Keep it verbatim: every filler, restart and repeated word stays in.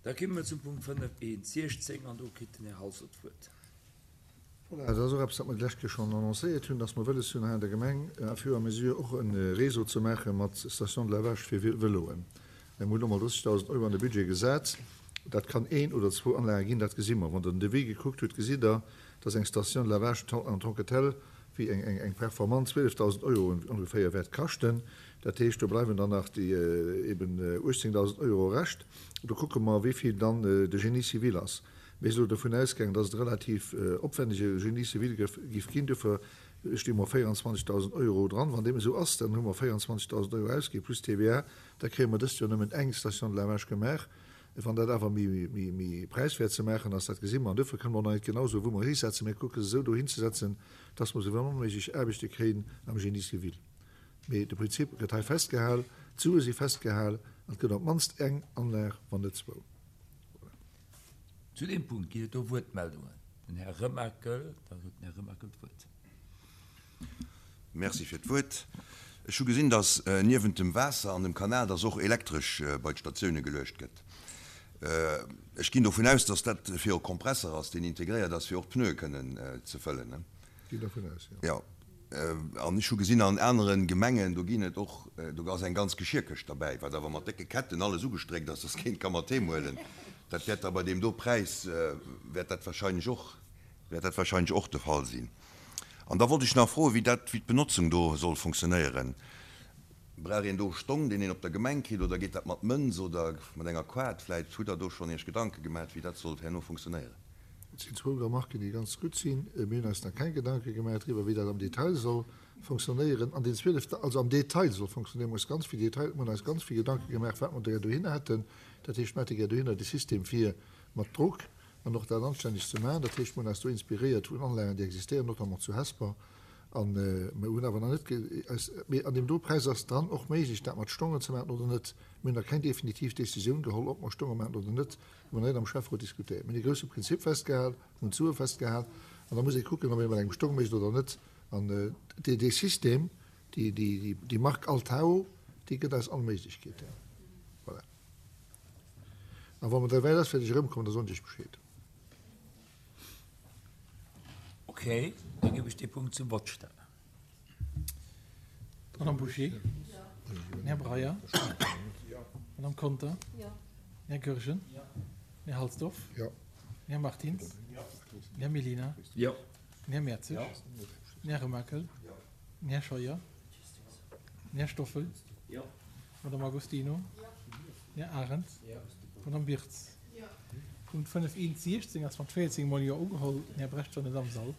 Da komme mer zum Punkt fënnef eent siechzéng an do kritt den Här Halsdorf d'Wuert. Voilà, dat ass och eppes, wat mer d'lescht Kéier schonn annoncéiert hunn, dass mer wëlles hunn, hei an der Gemeng à fur et à mesure och e Réseau ze maache mat Stations de lavage fir Vëloen. Mir hunn elo mol drëssegdausend Euro an de Budget gesat. Dat kann een oder zwou Anlage ginn, dat gesi mer. Wann Der den Devis gekuckt hutt, gesitt Der, dass eng Station de lavage en tant que telle, wéi eng performant, zwielefdausend Euro ongeféier wäert kaschten. Dat heescht, do bleiwen dann nach déi eben uechtzéngdausend Euro Rescht. Do kucke mer, wéi vill dann de Génie civil ass. Mir si elo dovun ausgaangen, dass et e relativ opwännege Génie civil géif ginn. Dofir sti mer véieranzwanzegdausend Euro dran. Wann deem esou ass, dann hu mer véieranzwanzegdausend Euro ausginn plus T V A. Da kréie mer dëst Joer nëmmen eng Station de lavage gemaach. Wann dat awer méi präiswäert ze maachen ass, dat gesi mer. An dofir kënne mer och nach net genau soen, wou mer hisetzen. Mir kucke se esou dohinzesetzen, dass mer esou wéi méiglech Aarbechte kréien am Génie civil. Mee de Prinzip gëtt hei festgehal, d'Sue si festgehal an et gëtt op d'mannst eng Anlag, wann net zwou. Voilà. Zu deem Punkt ginn et do Wuertmeldungen. Den Här Remakel, da huet den Här Remakel d'Wuert. Merci fir d'Wuert. Ech hu gesinn, dass niewent dem Waasser an dem Kanal, dass och Elektresch bei d'Statioune geluecht gëtt. Ech ginn dovun aus, dass dat fir e Kompresser ass, deen integréiert ass, fir och d'Pneue kënnen ze fëllen. Ginn dovun aus, jo. Jo. An ech hu gesinn an anere Gemengen, do ginn et och, do ass eng ganz Geschierkëscht derbäi, wat awer mat décke Ketten alles ugestréckt ass, dass keen ka mat heem huelen. Dat wäert da bei deem do Präis, wäert dat wahrscheinlech och, wäert dat wahrscheinlech och de Fall sinn. An da wollt ech nach froen, wéi dat, wéi d'Benotzung do soll funktionéieren. Brauch een do Stong, deen een op der Gemeng kritt, oder geet dat mat Mënz oder mat enger Kaart? Vläit hutt Der do schonn Iech Gedanke gemaach, wéi dat sollt herno funktionéieren. Et sinn zwou Remarken, déi ganz gutt sinn. Mir hunn eis nach keng Gedanke gemaach driwwer, wéi dat am Detail soll funktionéieren. An den zwielef, also am Detail soll funktionéieren, mir hunn eis ganz vill Detail, mir hunn eis ganz vill Gedanke gemaach, wat mer gär dohinner hätten. Dat heescht, mir hätte gär dohinner de System fir mat Drock an och dat anstänneg ze maachen. Dat heescht, mir hunn eis do inspiréiert vun Anlagen, déi existéieren, notamment zu Hesper. An mir hunn awer nach net eis, mee an deem do Präis ass dann och méiglech, dat mat Stongen ze maachen oder net. Mir hunn nach keng definitiv Decisioun geholl, ob mer Stonge maachen oder net. Hu mer nach net am Schäfferot diskutéiert. Mir hunn e grousse Prinzip festgehal, hunn d'Sue festgehal an da muss ee kucken, ob ee mat engem Stong mécht oder net. An dee, dee System, déi, déi, déi Mark Altao, déi gëtt eis all Méiglechkeeten. Voilà. A wa mer da wäit ass, wäert ech erëmkommen, da soen ech iech Bescheed. Ok, da ginn ech dee Punkt zum Vott stellen. Madame Bouché? Den Här Breyer? Madame Conter? Den Här Goergen? Den Här Halsdorf? Den Här Martins? Den Här Mellina? Den Här Mertzig? Den Här Remakel? Den Här Scheuer? Den Här Stoffel? Madame Agostino? Den Här Arendt? Madame Birtz? Punkt fënnef eent siechzéng ass mat véierzéng mol Jo ugeholl. Den Här Brecht war net am Sall.